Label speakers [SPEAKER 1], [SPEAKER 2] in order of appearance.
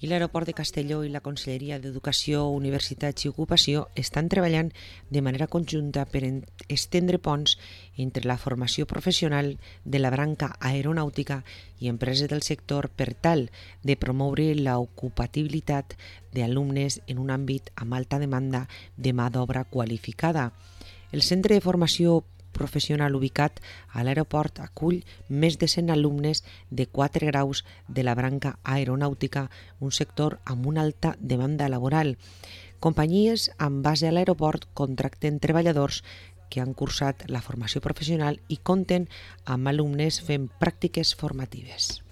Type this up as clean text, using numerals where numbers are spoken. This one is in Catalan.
[SPEAKER 1] i l'Aeroport de Castelló i la Conselleria d'Educació, Universitats i Ocupació estan treballant de manera conjunta per estendre ponts entre la formació professional de la branca aeronàutica i empreses del sector per tal de promoure l'ocupabilitat d'alumnes en un àmbit amb alta demanda de mà d'obra qualificada. El Centre de Formació Professional ubicat a l'aeroport acull més de 100 alumnes de 4 graus de la branca aeronàutica, un sector amb una alta demanda laboral. Companyies amb base a l'aeroport contracten treballadors que han cursat la formació professional i compten amb alumnes fent pràctiques formatives.